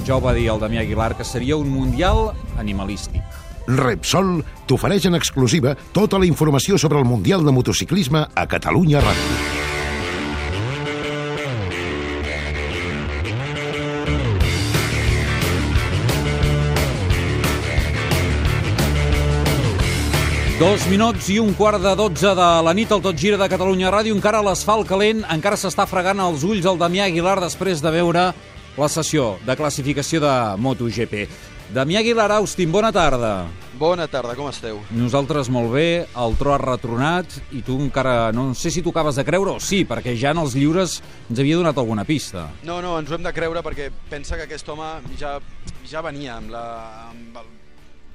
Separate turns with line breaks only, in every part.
Ja ho va dir el Damià Aguilar, que seria un mundial animalístic.
Repsol t'ofereix en exclusiva tota la informació sobre el Mundial de Motociclisme a Catalunya Ràdio.
Dos minuts i un quart de 12 de la nit al Tot Gira de Catalunya Ràdio. Encara l'asfalt calent, encara s'està fregant els ulls el Damià Aguilar després de veure la sessió de classificació de MotoGP. Damià Aguilar, Austin, bona tarda.
Bona tarda, com esteu?
Nosaltres molt bé, el tro ha retronat i tu encara no sé si t'ho acabes de creure o sí, perquè ja en els lliures ens havia donat alguna pista.
No, ens ho hem de creure perquè pensa que aquest home ja venia amb el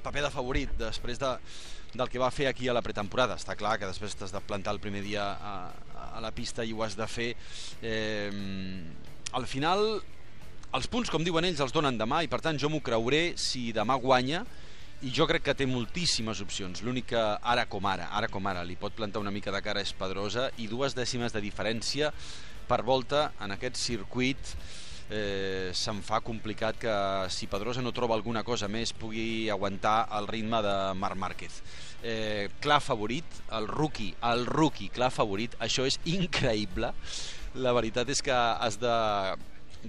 paper de favorit després del que va fer aquí a la pretemporada. Està clar que després t'has de plantar el primer dia a la pista i ho has de fer. Al final, els punts, com diuen ells, els donen demà i per tant jo m'ho creuré si demà guanya, i jo crec que té moltíssimes opcions. L'únic que ara com ara li pot plantar una mica de cara és Pedrosa, i 2 dècimes de diferència per volta en aquest circuit se'm fa complicat que si Pedrosa no troba alguna cosa més pugui aguantar el ritme de Marc Márquez. Clar favorit, el rookie clar favorit, això és increïble. La veritat és que has de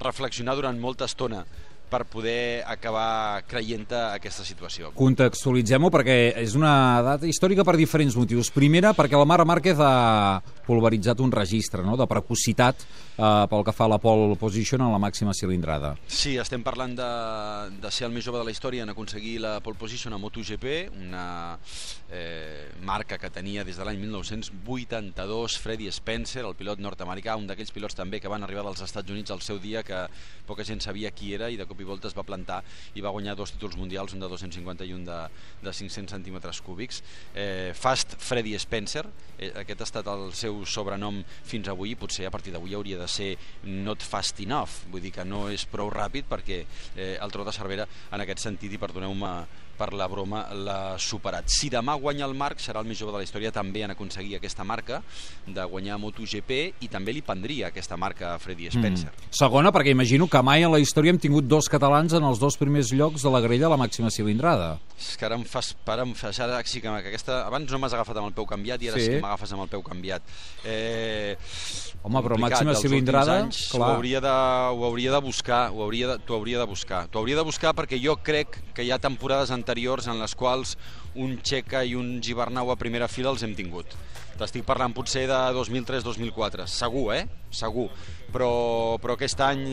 reflexionar durant molta estona per poder acabar creient-te aquesta situació.
Contextualitzem-ho perquè és una data històrica per diferents motius. Primera, perquè el Marc Márquez ha pulveritzat un registre, no?, de precocitat pel que fa a la pole position en la màxima cilindrada.
Sí, estem parlant de ser el més jove de la història en aconseguir la pole position a MotoGP, una marca que tenia des de l'any 1982 Freddie Spencer, el pilot nord-americà, un d'aquells pilots també que van arribar dels Estats Units al seu dia, que poca gent sabia qui era, i de cop i volta es va plantar i va guanyar 2 títols mundials, un de 250 i un de 500 centímetres cúbics. Fast Freddie Spencer, aquest ha estat el seu sobrenom fins avui, i potser a partir d'avui hauria de ser not fast enough, vull dir que no és prou ràpid, perquè el Tro de Cervera en aquest sentit, i perdoneu-me per la broma, l'ha superat. Si demà guanya el Marc, serà el més jove de la història també en aconseguir aquesta marca de guanyar MotoGP, i també li prendria aquesta marca a Freddie Spencer.
Segona, perquè imagino que mai en la història hem tingut 2 catalans en els 2 primers llocs de la grella a la màxima cilindrada.
És que ara em fas ara sí que aquesta... Abans no m'has agafat amb el peu canviat i ara sí que m'agafes amb el peu canviat.
Home, però màxima cilindrada,
clar. Ho hauria de buscar, t'ho hauria de buscar perquè jo crec que hi ha temporades anteriors en les quals un Checa i un Gibernau a primera fila els hem tingut. T'estic parlant potser de 2003-2004, segur, segur. Però aquest any,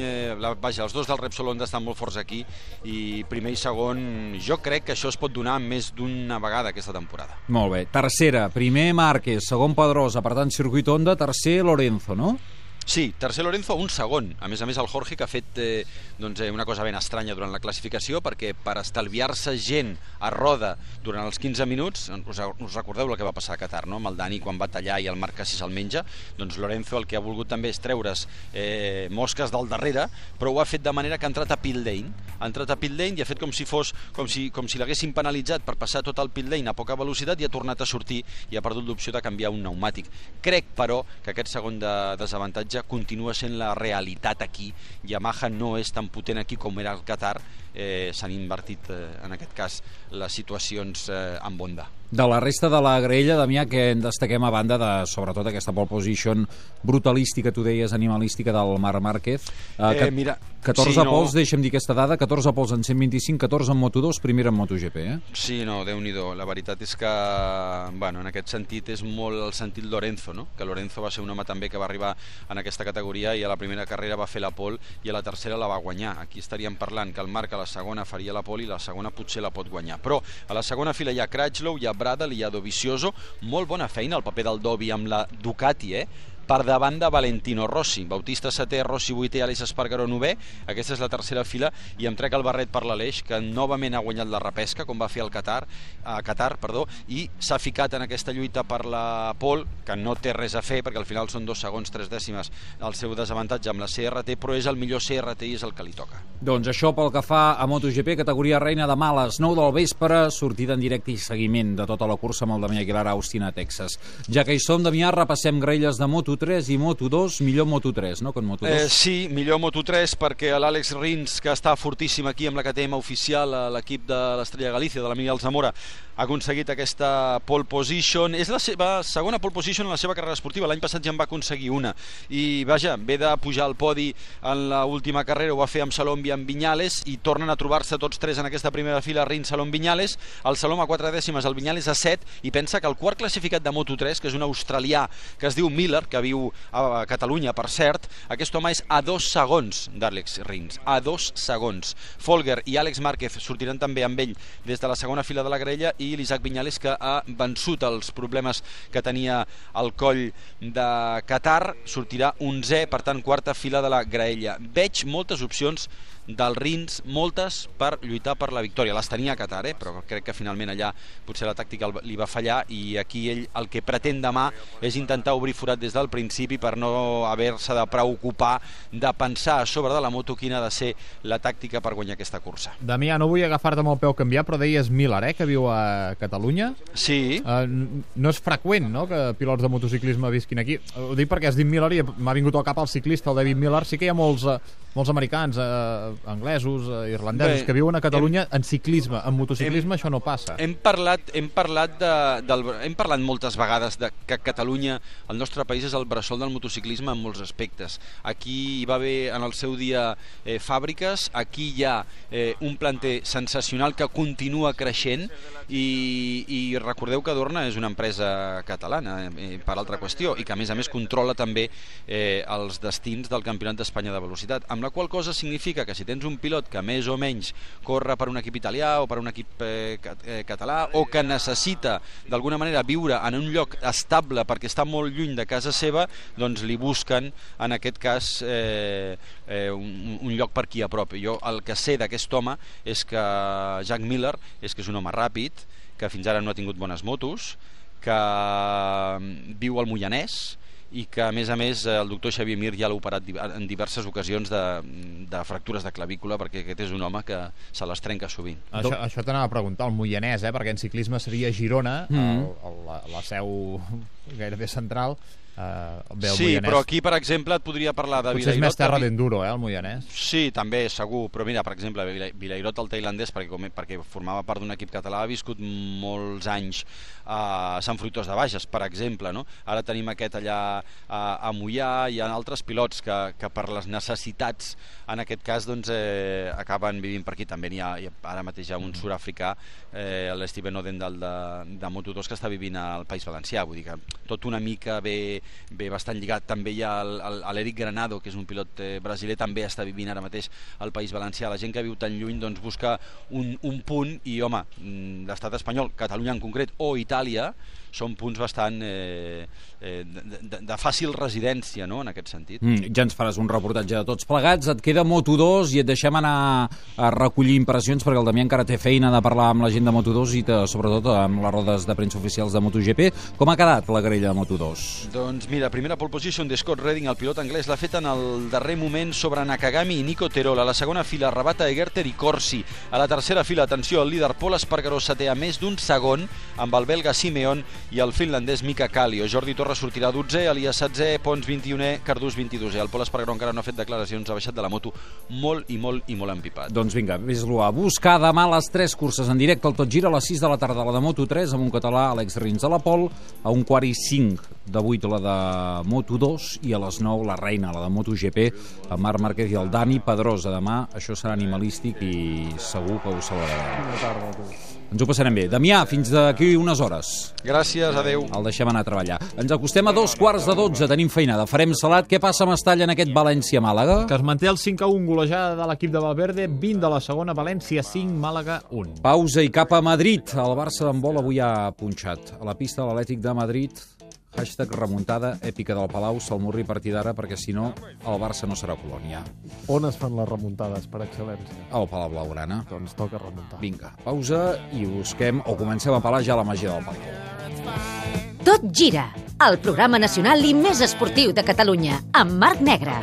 vaja, els 2 del Repsol Honda estan molt forts aquí, i primer i segon, jo crec que això es pot donar més d'una vegada aquesta temporada.
Molt bé. Tercera, primer Márquez, segon Pedrosa, per tant circuit Honda, tercer Lorenzo, no?
Sí, tercer Lorenzo, un segon. A més el Jorge, que ha fet una cosa ben estranya durant la classificació, perquè per estalviar-se gent a roda durant els 15 minuts, us recordeu el que va passar a Qatar, no?, amb el Dani quan va tallar i el Marc quasi se'l menja, doncs Lorenzo el que ha volgut també és treure's mosques del darrere, però ho ha fet de manera que ha entrat a pit lane. Ha entrat a pit lane i ha fet com si l'haguessin penalitzat per passar tot el pit lane a poca velocitat, i ha tornat a sortir i ha perdut l'opció de canviar un pneumàtic. Crec, però, que aquest segon desavantatge continua sent la realitat aquí. Yamaha no és tan potent aquí com era el Qatar. S'han invertit en aquest cas les situacions amb Honda.
De la resta de la graella, Damià, que en destaquem a banda de, sobretot, aquesta pole position brutalística, tu deies, animalística del Marc Márquez. 14 pols, deixa'm dir aquesta dada, 14 pols en 125, 14 en Moto2, primera en MotoGP,
Sí, no, Déu-n'hi-do. La veritat és que, bueno, en aquest sentit és molt el sentit Lorenzo, no? Que Lorenzo va ser un home també que va arribar en aquesta categoria i a la primera carrera va fer la pole i a la tercera la va guanyar. Aquí estaríem parlant que el Marc a la segona faria la pole i la segona potser la pot guanyar. Però a la segona fila hi ha Crutchlow, hi ha Bradle, hi ha Dovizioso. Molt bona feina el paper del Dovi amb la Ducati, per davant de Valentino Rossi. Bautista 7è, Rossi 8è, Aleix Espargaró 9è. Aquesta és la tercera fila, i em trec el barret per l'Aleix, que novament ha guanyat la repesca, com va fer a Qatar, i s'ha ficat en aquesta lluita per la pole, que no té res a fer, perquè al final són 2 segons, 3 dècimes el seu desavantatge amb la CRT, però és el millor CRT i és el que li toca.
Doncs això pel que fa a MotoGP, categoria reina, demà a les 9 del vespre, sortida en directe i seguiment de tota la cursa amb el Damià Aguilar a Austin, a Texas. Ja que hi som, Damià, repassem graelles de Moto3 Moto3 i Moto2, millor Moto3, no, que en Moto2?
Sí, millor Moto3 perquè l'Àlex Rins, que està fortíssim aquí amb la KTM oficial, l'equip de l'Estrella Galícia, de la Miguel Zamora, ha aconseguit aquesta pole position. És la seva segona pole position en la seva carrera esportiva. L'any passat ja en va aconseguir una. I, vaja, ve de pujar al podi en l'última carrera, ho va fer amb Salom i amb Viñales, i tornen a trobar-se tots tres en aquesta primera fila, Rins, Salom, Viñales. El Salom a 4 dècimes, el Viñales a 7, i pensa que el quart classificat de Moto3, que és un australià que es diu Miller, que viu a Catalunya, per cert, aquest home és a 2 segons d'Àlex Rins, a 2 segons. Folger i Àlex Márquez sortiran també amb ell des de la segona fila de la graella, i l'Isaac Viñales, que ha vençut els problemes que tenia al coll de Qatar, sortirà 11è, per tant, quarta fila de la graella. Veig moltes opcions del Rins, moltes per lluitar per la victòria. Les tenia a Qatar, però crec que finalment allà potser la tàctica li va fallar, i aquí ell el que pretén demà és intentar obrir forat des del principi per no haver-se de preocupar de pensar a sobre de la moto quina ha de ser la tàctica per guanyar aquesta cursa.
Damià, no vull agafar-te amb el peu canviat, però deies Miller, que viu a Catalunya.
Sí.
No és freqüent, no?, que pilots de motociclisme visquin aquí. Ho dic perquè has dit Miller i m'ha vingut al cap el ciclista, el David Miller. Sí que hi ha molts americans, anglesos, irlandesos, que viuen a Catalunya en ciclisme. En motociclisme això no passa.
Hem parlat moltes vegades de que Catalunya, el nostre país, és el bressol del motociclisme en molts aspectes. Aquí hi va haver en el seu dia fàbriques, aquí hi ha un planter sensacional que continua creixent, i recordeu que Dorna és una empresa catalana, per altra qüestió, i que a més controla també els destins del Campionat d'Espanya de Velocitat, amb la qual cosa significa que si tens un pilot que més o menys corre per un equip italià o per un equip català, o que necessita d'alguna manera viure en un lloc estable perquè està molt lluny de casa seva, doncs li busquen en aquest cas un lloc per aquí a prop. Jo el que sé d'aquest home és que Jack Miller és que és un home ràpid, que fins ara no ha tingut bones motos, que viu al Moianès, i que a més el doctor Xavier Mir ja l'ha operat en diverses ocasions de fractures de clavícula, perquè aquest és un home que se les trenca sovint.
Això t'anava a preguntar, el Moianès, perquè en ciclisme seria Girona, la seu gairebé central.
Sí, però aquí, per exemple, et podria parlar de Vilairot.
Potser és més terra d'enduro, el Moianès.
Sí, també, segur, però mira, per exemple, Vilairot, el tailandès, perquè formava part d'un equip català, ha viscut molts anys a Sant Fruitós de Bages, per exemple, no? Ara tenim aquest allà a Moià, hi ha altres pilots que per les necessitats, en aquest cas, doncs, acaben vivint per aquí. També n'hi ha, ara mateix hi ha un sud-africà, l'Steven Odendal de Moto2, que està vivint al País Valencià, vull dir que tot una mica ve bastant lligat. També hi ha l'Eric Granado, que és un pilot brasiler, també està vivint ara mateix al País Valencià. La gent que viu tan lluny doncs busca un punt, i home, l'estat espanyol, Catalunya en concret, o Itàlia, són punts bastant de fàcil residència, no?, en aquest sentit.
Ja ens faràs un reportatge de tots plegats. Et queda Moto2 i et deixem anar a recollir impressions, perquè el Damià encara té feina de parlar amb la gent de Moto2 i sobretot amb les rodes de premsa oficials de MotoGP. Com ha quedat la grella de Moto2?
Doncs mira, primera pole position de Scott Redding, el pilot anglès, l'ha fet en el darrer moment sobre Nakagami i Nico Terol. A la segona fila, Rabata, Egerter i Corsi. A la tercera fila, atenció, el líder Pol Espargaró setè a més d'un segon, amb el belga Simeon i el finlandès Mika Kallio. Jordi Torres sortirà 12è, Elias 16è, Pons 21è, Cardús 22è. El Pol Espargaró encara no ha fet declaracions, ha baixat de la moto molt empipat.
Doncs vinga, vés-lo a buscar demà les 3 curses en directe al Tot Gira, a les 6 de la tarda la de Moto3 amb un català, Àlex Rins a la pol, a 1:45 de 8 la de Moto2 i a les 9 la reina, la de MotoGP, amb Marc Márquez i el Dani Pedrosa. Demà això serà animalístic i segur que ho celebrarem. Ens ho passarem bé. Damià, fins d'aquí unes hores.
Gràcies, adeu.
El deixem anar a treballar. Ens acostem a 2:15, tenim feinada. Farem salat. Què passa a Mestalla en aquest València-Màlaga?
Que es manté el 5-1, golejada de l'equip de Valverde, 20 de la segona, València 5, Màlaga 1.
Pausa i cap a Madrid. El Barça d'handbol avui ha punxat. A la pista de l'Atlètic de Madrid, #remuntada èpica del Palau, Salmurri a partir d'ara, perquè si no el Barça no serà colònia.
On es fan les remuntades per excel·lència?
Al Palau Blaugrana.
Doncs toca remuntar.
Vinga, pausa i busquem, o comencem a pelar ja la màgia del Palau.
Tot gira, el programa nacional i més esportiu de Catalunya, amb Marc Negre.